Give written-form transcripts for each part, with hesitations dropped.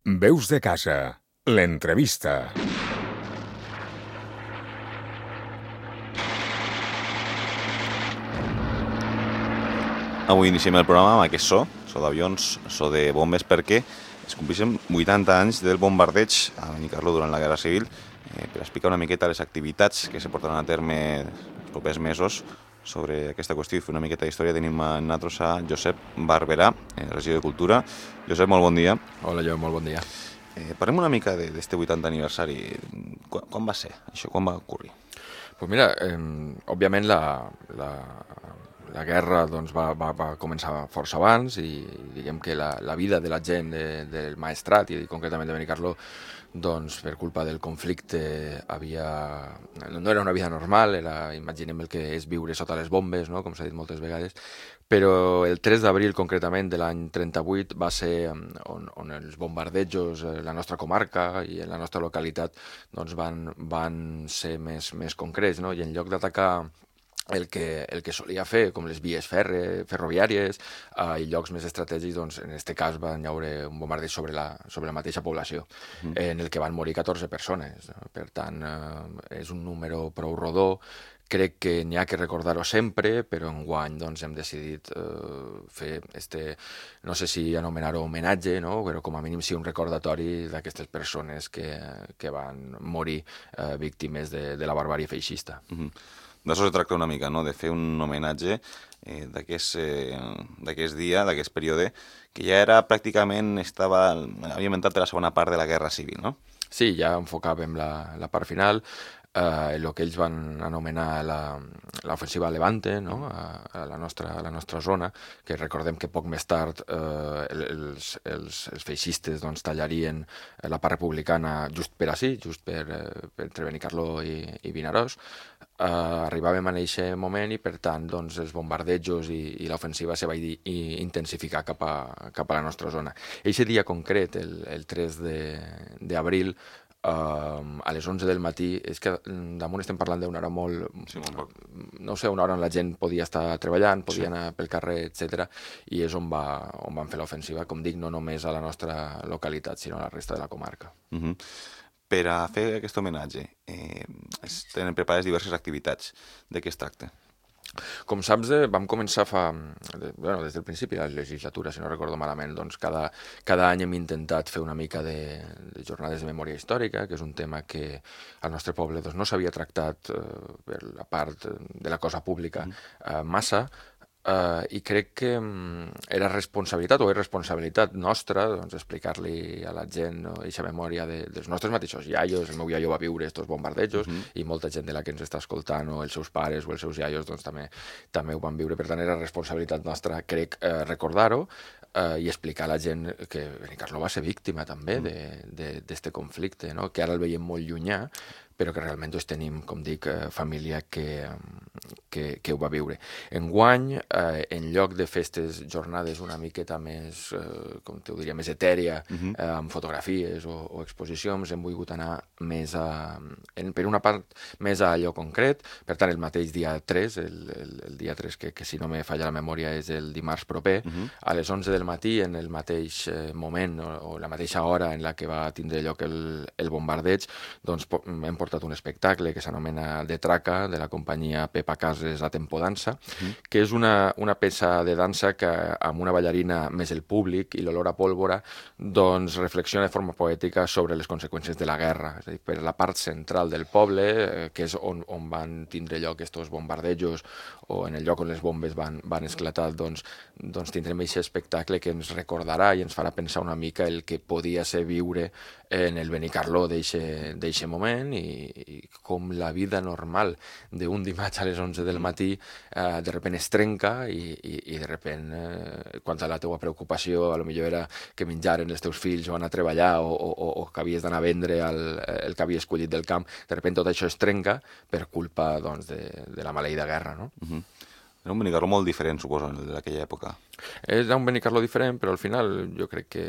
Veus de casa, l'entrevista. Avui iniciem el programa amb aquest so d'avions, so de bombes, perquè es compleixen 80 anys del bombardeig a Benicarló durant la Guerra Civil. Per explicar una miqueta les activitats que se portaran a terme els propers mesos sobre aquesta qüestió i fer una miqueta d'història, tenim a nosaltres a Josep Barberà, regidor de Cultura. Josep, molt bon dia. Hola, Joan, molt bon dia. Parlem una mica d'este 80 aniversari. Quan va ser això? Quan va ocórrer? Pues mira, òbviament la guerra doncs, va començar força abans i diguem que la vida de la gent del Maestrat i concretament de Benicarló doncs per culpa del conflicte no era una vida normal, imaginem el que és viure sota les bombes, no? Com s'ha dit moltes vegades, però el 3 d'abril concretament de l'any 38 va ser on els bombardejos a la nostra comarca i en la nostra localitat doncs van ser més concrets, no? I en lloc d'atacar el que solia fer, com les vies ferroviàries i llocs més estratègics, doncs en aquest cas van haure un bombardeig sobre la mateixa població, en el que van morir 14 persones. Per tant, és un número prou rodó. Crec que n'hi ha que recordar-ho sempre, però enguany doncs, hem decidit fer no sé si anomenar-ho homenatge, no? Però com a mínim sí un recordatori d'aquestes persones que van morir víctimes de la barbàrie feixista. D'això es tracta una mica, no? De fer un homenatge d'aquest dia, d'aquest període, que ja era pràcticament, havia inventat per la segona part de la Guerra Civil, no? Sí, ja enfocàvem la part final, el que ells van anomenar l'ofensiva Levante, no? a la nostra zona, que recordem que poc més tard els feixistes doncs, tallarien la part republicana just per ací, just per entre Benicarló i Vinaròs. Arribàvem en aquest moment i per tant doncs, els bombardejos i l'ofensiva se va intensificar cap a la nostra zona. Eixe dia concret, el 3 d'abril, a les 11 del matí, és que damunt estem parlant d'una hora no sé, una hora on la gent podia estar treballant, podia anar pel carrer, etc. I és on van fer l'ofensiva, com dic, no només a la nostra localitat, sinó a la resta de la comarca. Per a fer aquest homenatge, es tenen preparades diverses activitats. De què es tracta? Com saps, vam començar des del principi de la legislatura, si no recordo malament, doncs cada any hem intentat fer una mica de jornades de memòria històrica, que és un tema que al nostre poble doncs, no s'havia tractat per la part de la cosa pública massa, i crec que era responsabilitat o és responsabilitat nostra doncs, explicar-li a la gent aquesta memòria dels nostres mateixos iaios. El meu iaio va viure estos bombardejos i molta gent de la que ens està escoltant o els seus pares o els seus iaios doncs, també ho van viure. Per tant, era responsabilitat nostra, crec, recordar-ho i explicar a la gent que Benicarló va ser víctima també d'este conflicte, no? Que ara el veiem molt llunyà, però que realment doncs, tenim, com dic, família que ho va viure. Enguany, en lloc de fer aquestes jornades una miqueta més, com t'ho diria, més etèria, amb fotografies o exposicions, hem volgut anar per una part, més a allò concret. Per tant, el mateix dia 3, el dia 3 que si no me falla la memòria és el dimarts proper, a les 11 del matí, en el mateix moment o la mateixa hora en la que va tindre lloc el bombardeig, doncs hem portat un espectacle que s'anomena De Traca, de la companyia Pepa Cases a Tempo Dansa, que és una peça de dansa que amb una ballarina més el públic i l'olor a pólvora doncs reflexiona de forma poètica sobre les conseqüències de la guerra, és a dir, per la part central del poble, que és on van tindre lloc aquests bombardejos o en el lloc on les bombes van esclatar, doncs tindrem aquest espectacle que ens recordarà i ens farà pensar una mica el que podia ser viure en el Benicarló d'eixe moment i com la vida normal d'un dimarts a les 11 del matí de sobte es trenca i de sobte quan la teua preocupació potser era que menjaren els teus fills o anar a treballar o que havies d'anar a vendre el que havies collit del camp, de sobte tot això es trenca per culpa doncs, de la maleïda guerra, no? Era un Benicarló molt diferent, suposo, d'aquella època. És un Benicarló diferent, però al final jo crec que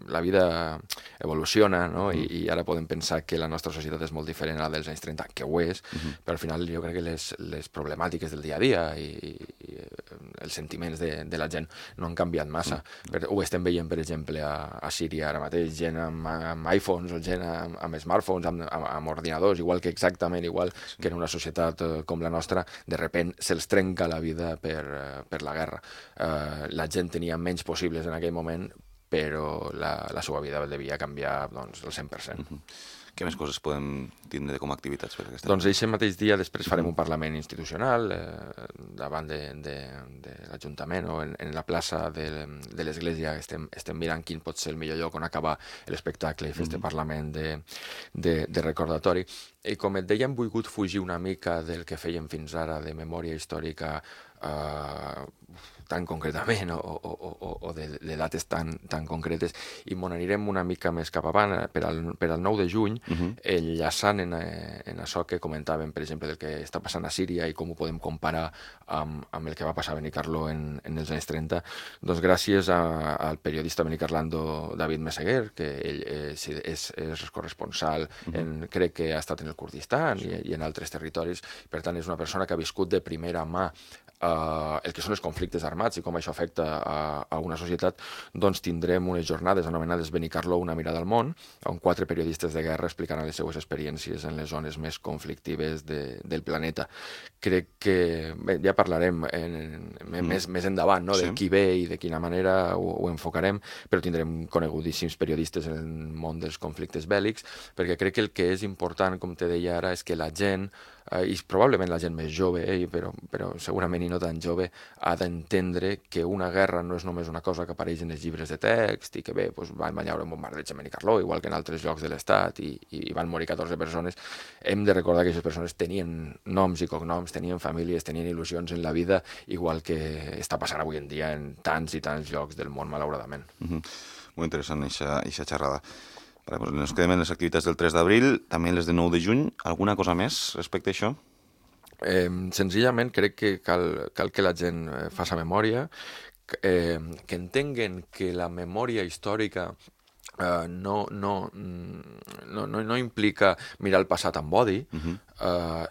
la vida evoluciona, no? I ara podem pensar que la nostra societat és molt diferent a la dels anys 30, que ho és, però al final jo crec que les problemàtiques del dia a dia i els sentiments de la gent no han canviat massa. Ho estem veient, per exemple, a Síria ara mateix, gent amb iPhones o gent amb smartphones, amb ordinadors, exactament igual que en una societat com la nostra, de repent se'ls trenca la vida per la guerra. La gent tenia menys possibles en aquell moment, però la seva vida devia canviar doncs, el 100%. Què més coses podem tindre com a activitats per aquesta? Doncs aquest mateix dia després farem un parlament institucional davant de l'Ajuntament o en la plaça de l'Església. Estem mirant quin pot ser el millor lloc on acabar l'espectacle i fer aquest parlament de recordatori. I com et deia, hem volgut fugir una mica del que fèiem fins ara de memòria històrica tan concretament o de dates tan concretes, i m'ho anirem una mica més cap avant per al 9 de juny, enllaçant en això que comentàvem, per exemple, del que està passant a Síria i com ho podem comparar amb el que va passar a Benicarló en els anys 30, doncs gràcies al periodista benicarlando David Meseguer, que ell és corresponsal, crec que ha estat en el Kurdistan i en altres territoris, per tant és una persona que ha viscut de primera mà el que són els conflictes armats i com això afecta a una societat. Doncs tindrem unes jornades anomenades Benicarló, una mirada al món, on 4 periodistes de guerra explicaran les seues experiències en les zones més conflictives del planeta. Crec que ja parlarem més endavant, no? De qui ve i de quina manera ho enfocarem, però tindrem conegudíssims periodistes en el món dels conflictes bèl·lics, perquè crec que el que és important, com te deia ara, és que la gent, i probablement la gent més jove, però segurament i no tan jove, ha d'entendre que una guerra no és només una cosa que apareix en els llibres de text i que bé, van haver un bombardeig a Benicarló, igual que en altres llocs de l'Estat, i van morir 14 persones. Hem de recordar que aquestes persones tenien noms i cognoms, tenien famílies, tenien il·lusions en la vida, igual que està passant avui en dia en tants i tants llocs del món, malauradament. Molt interessant, aquesta xerrada. Ens quedem en les activitats del 3 d'abril, també les de 9 de juny. Alguna cosa més respecte a això? Senzillament crec que cal que la gent faci memòria, que entenguen que la memòria històrica no implica mirar el passat amb odi,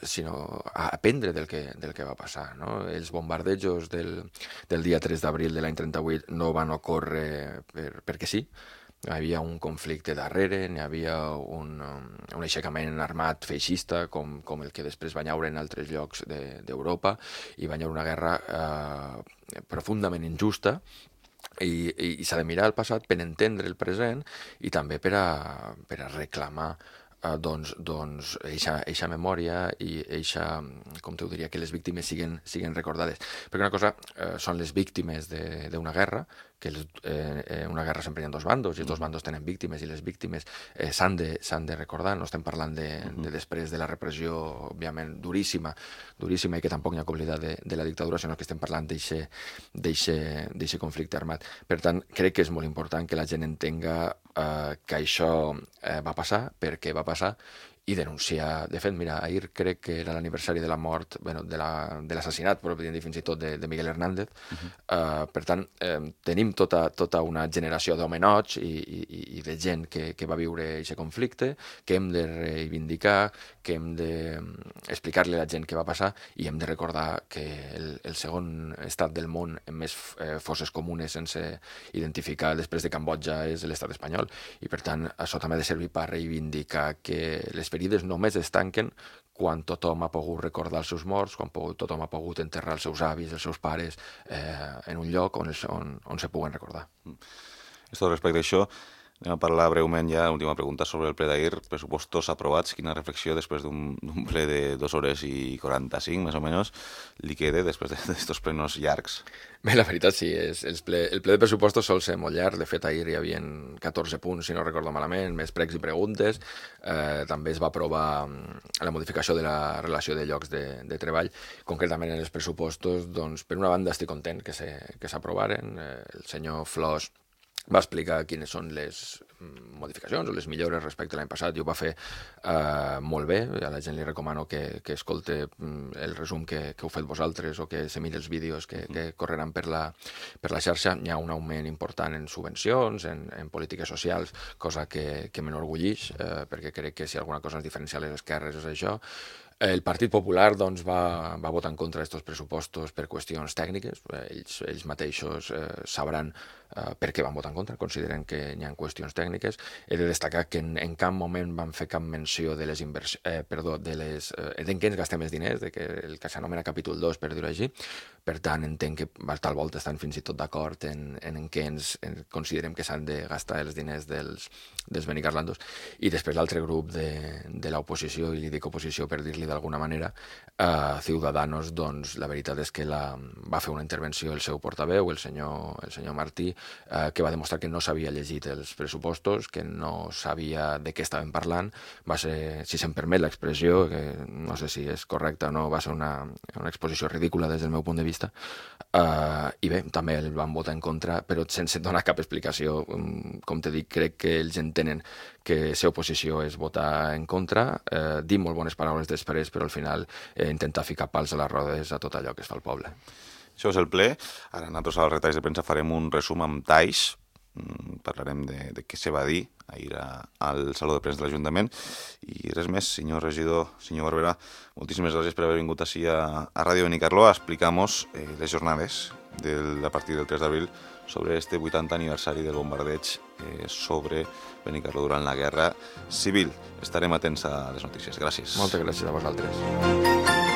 sinó aprendre del que va passar, no? Els bombardejos del dia 3 d'abril de l'any 38 no van ocórrer perquè sí. Hi havia un conflicte darrere, hi havia un aixecament armat feixista com el que després va haure en altres llocs d'Europa, i va haure una guerra profundament injusta, i s'ha de mirar el passat per entendre el present i també per a reclamar doncs eixa memòria i eixa, com t'ho diria, que les víctimes siguin recordades. Perquè una cosa són les víctimes d'una guerra, que una guerra sempre hi ha 2 bandos i els 2 bandos tenen víctimes, i les víctimes s'han de recordar. No estem parlant de després de la repressió, òbviament, duríssima, i que tampoc n'hi ha que oblidar de la dictadura, sinó que estem parlant d'eixe conflicte armat. Per tant, crec que és molt important que la gent entenga que això va passar, per què va passar, i denunciar. De fet, mira, ahir crec que era l'aniversari de la mort, de l'assassinat, però podríem dir fins i tot de Miguel Hernández. Per tant, tenim tota una generació d'homenots i de gent que va viure aquest conflicte, que hem de reivindicar, que hem d'explicar-li a la gent què va passar, i hem de recordar que el segon estat del món amb més fosses comunes sense identificar després de Cambodja és l'estat espanyol, i per tant això també ha de servir per reivindicar que les ferides només es tanquen quan tothom ha pogut recordar els seus morts, quan tothom ha pogut enterrar els seus avis, els seus pares, en un lloc on se puguen recordar. Respecte a això, anem a parlar breument ja, última pregunta, sobre el ple d'ahir, pressupostos aprovats. Quina reflexió després d'un ple de 2 hores i 45, més o menys, li queda després d'aquests plenos llargs? Bé, la veritat sí, el ple de pressupostos sol ser molt llarg. De fet, ahir hi havia 14 punts, si no recordo malament, més pregs i preguntes. També es va aprovar la modificació de la relació de llocs de treball. Concretament en els pressupostos, doncs, per una banda estic content que s'aprovaren. El senyor Flors va explicar quines són les modificacions o les millores respecte a l'any passat, i ho va fer molt bé. A la gent li recomano que escolte el resum que heu fet vosaltres o que se miri els vídeos que correran per la xarxa. Hi ha un augment important en subvencions, en polítiques socials, cosa que m'enorgullix, perquè crec que si alguna cosa ens diferencia a les esquerres és això. El Partit Popular doncs, va votar en contra d'aquests pressupostos per qüestions tècniques. Ells mateixos sabran per què van votar en contra, consideren que hi ha qüestions tècniques. He de destacar que en cap moment van fer cap menció de les d'en què ens gastem els diners, de que el que s'anomena capítol 2, per dir-ho així. Per tant, entenc que tal volta estan fins i tot d'acord en què considerem que s'han de gastar els diners dels benicarlandos. I després l'altre grup de l'oposició, i li dic oposició per dir-li d'alguna manera, Ciudadanos, doncs la veritat és que va fer una intervenció el seu portaveu, el senyor Martí, que va demostrar que no s'havia llegit els pressupostos, que no sabia de què estàvem parlant. Va ser, si se'm permet l'expressió, que no sé si és correcta o no, va ser una exposició ridícula des del meu punt de vista. I bé, també el van votar en contra, però sense donar cap explicació. Com t'he dit, crec que ells entenen que ser oposició és votar en contra, dir molt bones paraules després, però al final intentar ficar pals a les rodes a tot allò que es fa al poble. Això és el ple. Ara nosaltres als retalls de premsa farem un resum amb talls. Parlarem de què se va dir ahir al Saló de Premsa de l'Ajuntament. I res més, senyor regidor, senyor Barberà, moltíssimes gràcies per haver vingut així a Ràdio Benicarló a explicar-nos les jornades a partir del 3 d'abril sobre este 80 aniversari del bombardeig sobre Benicarló durant la Guerra Civil. Estarem atents a les notícies. Gràcies. Moltes gràcies a vosaltres.